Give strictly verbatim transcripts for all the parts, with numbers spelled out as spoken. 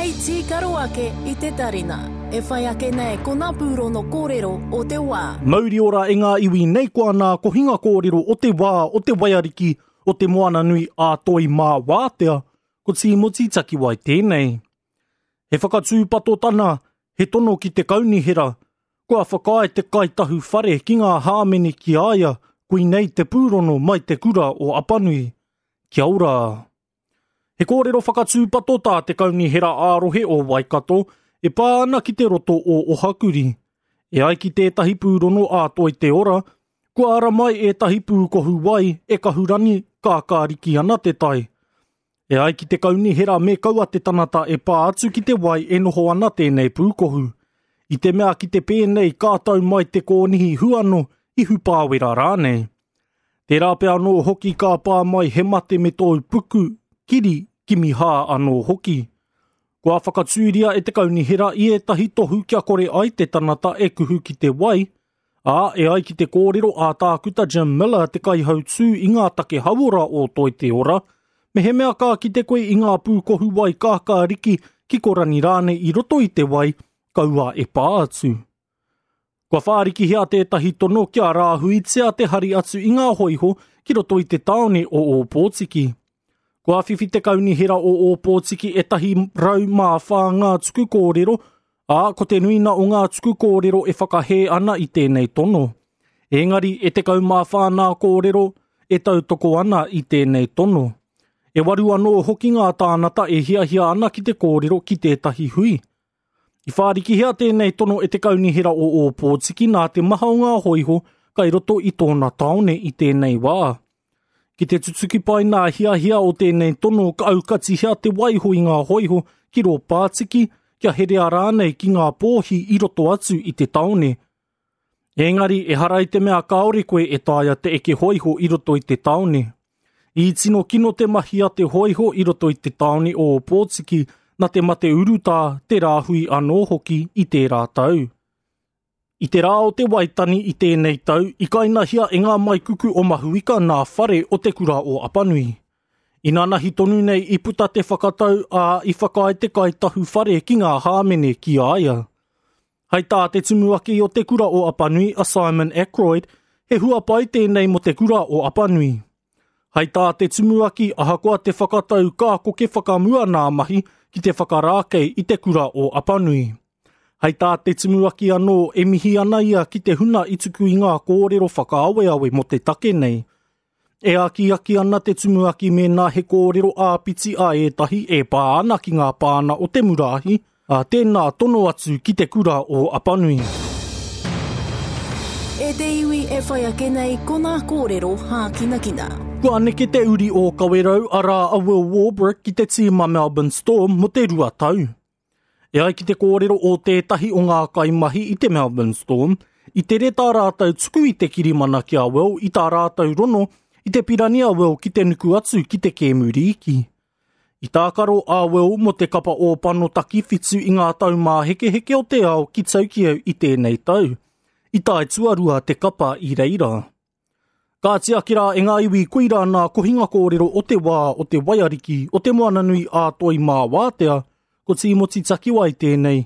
Hei tīkaro ake i te tarina. E whai ake nei ko ngā pūrono kōrero o te wā. Mauri ora e ngā iwi nei ko ana kohinga kōrero o te wā o te waiariki o te moana nui a Toi Mā Wātea, ko Tīmoti Takiwai tēnei. He whakatūpatotana, he tono ki te kaunihera, kua whakaae te kaitahu whare ki ngā hāmene ki a ia, koinei te pūrono mai te kura o Apanui. Kia ora! He kōrero whakatūpato tā te kaunihera ā-rohe o Waikato e pā ana ki te roto o Ohakuri. E ai ki tētahi pūrono a Toi Te Ora, kua ara mai ētahi pūkohu wai e kahurani kākāriki ana te tai. E ai ki te kaunihera me kaua te tanata e pā atu ki te wai e noho ana tēnei pūkohu. I te mea ki te pēnei ka tau mai te kōnihi huano i hupāwera rānei. Tērā pea anō hoki ka pā mai he mate me tōu puku, kiri, kimi hā anō hoki. Kua whakatūria e te kaunihera i ētahi tohu kia kore ai te tanata e kuhu ki te wai, ā, e ai ki te kōrero a Tākuta Jim Miller te kaihautū i ngā take hauora o Toi Te Ora, mehemea ka kite koe i ngā pūkohu wai kākāriki ki korani rānei i roto i te wai, kaua e pā atu. Kua whārikihia tētahi tono kia rāhuitia te hari atu i ngā hoiho ki roto i te tāone o Ōpōtiki. Kua whiwhi te kaunihera o Ōpōtiki e tahi rau mā whā ngā tuku kōrero, ā, ko te nuina o ngā tuku kōrero e whakahē ana i tēnei tono. Engari e tekau mā whā nā kōrero e tautoko ana i tēnei tono. E waru anō hoki ngā tānata e hiahia ana ki te kōrero ki tētahi hui. I whārikihia tēnei tono e te kaunihera o Ōpōtiki nā te maha o ngā hoiho kai roto i tōna tāone i tēnei wā. Ki te tutuki pai nā hiahia o tēnei tono ka aukatihia te waiho i ngā hoiho ki rō pātiki kia herea rānei ki ngā pōhi i roto atu i te taone. Engari, ehara i te mea kāore koe e taea te eke hoiho i roto i te taone. I tino kino te mahi a te hoiho i roto i te taone o Ōpōtiki na te mate urutā te rāhui anō hoki i tērā tau. I te rā o te Waitani i tēnei tau, i kainahia e ngā maikuku o Mahuika nā whare o te kura o Apanui. Inanahi tonu nei i puta te whakatau ā i whakaae te kaitahu whare ki ngā hāmene ki a ia. Hei tā te tumuaki o te kura o Apanui a Simon Ackroyd, he huapai tēnei mo te kura o Apanui. Hei tā te tumuaki ahakoa te whakatau ka koke whakamua nā mahi ki te whakarākei i te kura o Apanui. Hei tā te tumuaki anō e mihi ana ia ki te huna i tuku i ngā kōrero whakaaweawe mo te take nei. E akiaki ana te tumuaki mēnā he kōrero āpiti a ētahi e pā ana ki ngā pāna o te muraahi, ā tēnā tono atu ki te kura o Apanui. E te iwi e whai ake nei ko ngā kōrero hākinakina. Kua neke te uri o Kawerau arā a Will Warbrick ki te tīma Melbourne Storm mo te rua tau. E ai ki te kōrero o tētahi o ngā kaimahi i te Melbourne Storm, i tere tā rātou tuku i te kirimana ki a Will i tā rātou rono i te pirani a Will ki te nuku atu ki te kēmu rīki. I tākaro a Will mo te kapa ōpano takiwhitu i ngā tau māhekeheke o te ao ki Tokyo i tēnei tau. I tae tuarua te kapa i reira. Ka tiaki rā e ngā iwi koira nā kohinga kōrero o te wā o te waiariki o te moana nui a Toi Mā Wātea, ko Tīmoti Takiwai tēnei.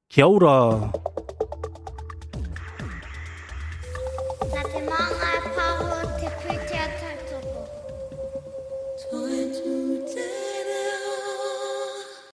Kia ora!